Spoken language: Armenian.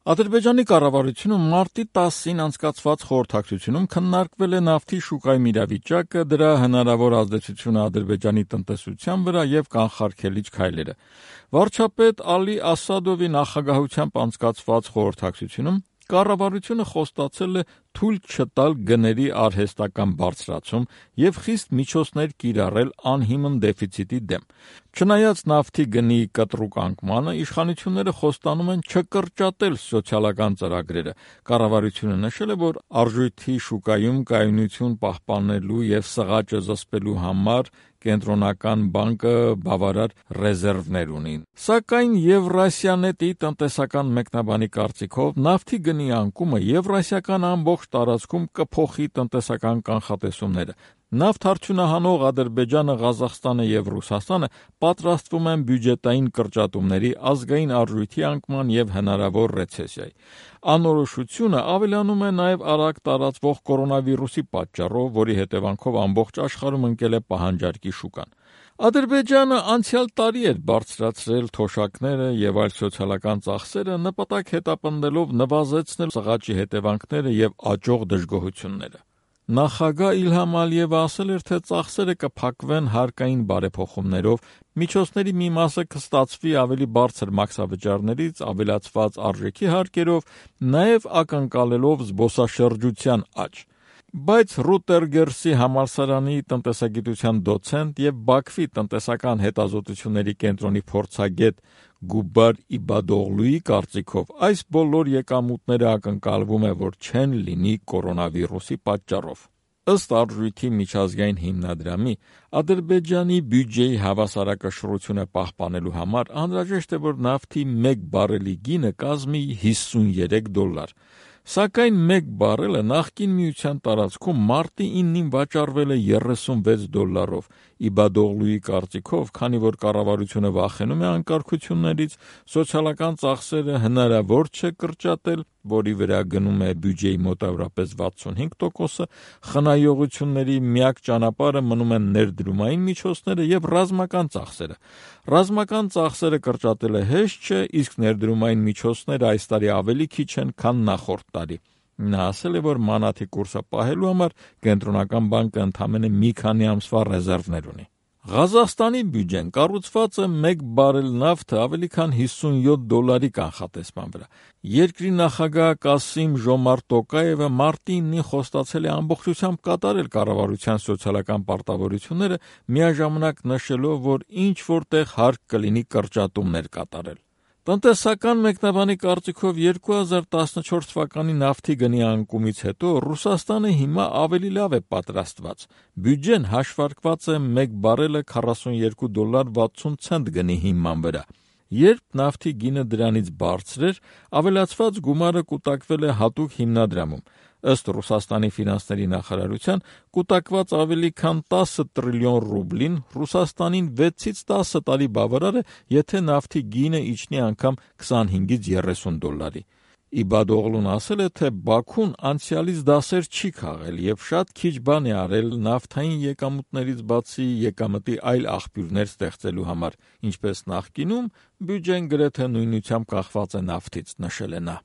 Ադրբեջանի կառավարությունը մարտի 10-ին անցկացված խորհրդակցությունում քննարկվել է նավթի շուկայում իրավիճակը, դրա հնարավոր ազդեցությունը Ադրբեջանի տնտեսության վրա եւ կանխարգելիչ քայլերը։ Վարչապետ Ալի Ասադովի նախագահությամբ անցկացված խորհրդակցությունում կառավարությունը խոստացել է թույլ չտալ գների արհեստական բարձրացում եւ խիստ միջոցներ կիրառել անհիմն դեֆիցիտի դեմ։ Չնայած նավթի գնի կտրուկ անկմանը, իշխանությունները խոստանում են չկրճատել սոցիալական ծրագրերը։ Կառավարությունը նշել է, որ արժույթի շուկայում կայունություն պահպանելու եւ սղաճը զսպելու համար Կենտրոնական բանկը բավարար ռեզերվներ ունի։ Սակայն Եվրասիանետի տնտեսական մեկնաբանի կարծիքով նավթի գնի անկումը եվրասիական ամբողջ տարածքում կփոխի տնտեսական կանխատեսումները։ Նավթ արդյունահանող Ադրբեջանը, Ղազախստանը եւ Ռուսաստանը պատրաստվում են բյուջետային կրճատումների, ազգային արժույթի անկման եւ հնարավոր ռեցեսիայի։ Անորոշությունը ավելանում է նաեւ արագ տարածվող կորոնավիրուսի պատճառով, որի հետևանքով ամբողջ աշխարհում ընկել է պահանջարկի շուկան։ Ադրբեջանը անցյալ տարի էր բարձրացրել թոշակները եւ այլ սոցիալական ծախսերը, նպատակ հետապնդելով նվազեցնել սղաճի հետևանքները եւ աճող դժգոհությունները։ Նախագահ Իլհամ Ալիևը ասել էր, թե ծախսերը կփակվեն հարկային բարեփոխումներով, միջոցների մի մասը կստացվի ավելի բարձր մաքսավճարներից, ավելացված արժեքի հարկերով, նաեւ ակնկալելով զբոսաշրջության աճ։ Բայց Ռուտերգերսի համալսարանի տնտեսագիտության դոցենտ եւ Բաքվի տնտեսական հետազոտությունների կենտրոնի փորձագետ Գուբար Իբադօղլուի կարծիքով այս բոլոր եկամուտները ակնկալվում է, որ չեն լինի կորոնավիրուսի պատճառով։ Ըստ արժույթի միջազգային հիմնադրամի, Ադրբեջանի բյուջեի հավասարակշռությունը պահպանելու համար անհրաժեշտ է, որ նավթի 1 բարելի գինը կազմի $53։ Սակայն 1 բարելը նախկին միության տարածքում մարտի 9-ին վաճառվել է $36։ Իբադօղլուի կարծիքով, քանի որ կառավարությունը վախենում է անկարգություններից, սոցիալական ծախսերը հնարավոր չէ կրճատել, որի վրա գնում է բյուջեի մոտավորապես 65%, խնայողությունների միակ ճանապարհը մնում են ներդրումային միջոցները եւ ռազմական ծախսերը։ Ռազմական ծախսերը կրճատելը հեշտ չէ, իսկ ներդրումային միջոցները այս տարի ավելի քիչ են, քան նախորդ տարի։ Նա ասել է, որ մանաթի կուրսը պահելու համար Կենտրոնական բանկը ընդամենը մի քանի ամսվա ռեզերվներ ունի։ Ղազախստանի բյուջեն կառուցված է 1 բարել նավթը ավելի քան $57 կանխատեսման վրա։ Երկրի նախագահ Կասիմ Ժոմարտ Տոկաևը մարտի 9-ին խոստացել է ամբողջությամբ կատարել կառավարության սոցիալական պարտավորությունները, միաժամանակ նշելով, որ ինչ-որտեղ հարկ կլինի կրճատումներ կատարել։ Տնտեսական մեկնաբանի կարծիքով 2014 թվականի նավթի գնի անկումից հետո Ռուսաստանը հիմա ավելի լավ է պատրաստված։ Բյուջեն հաշվարկված է 1 բարելը $42.60 գնի հիման վրա։ Երբ նավթի գինը դրանից բարձր էր, ավելացված գումարը կուտակվել է հատուկ հիմնադրամում։ Ըստ Ռուսաստանի ֆինանսների նախարարության, կուտակված ավելի քան 10 տրիլիոն ռուբլին Ռուսաստանին 6-ից 10 տարի բավարար է, եթե նավթի գինը իջնի անգամ $25-30։ Իբադօղլուն ասել է, թե Բաքուն անցյալից դասեր չի քաղել եւ շատ քիչ բան է արել նավթային եկամուտներից բացի եկամտի այլ աղբյուրներ ստեղծելու համար, ինչպես նախկինում բյուջեն գրեթե նույնությամբ կախված է նավթից, նշել է նա։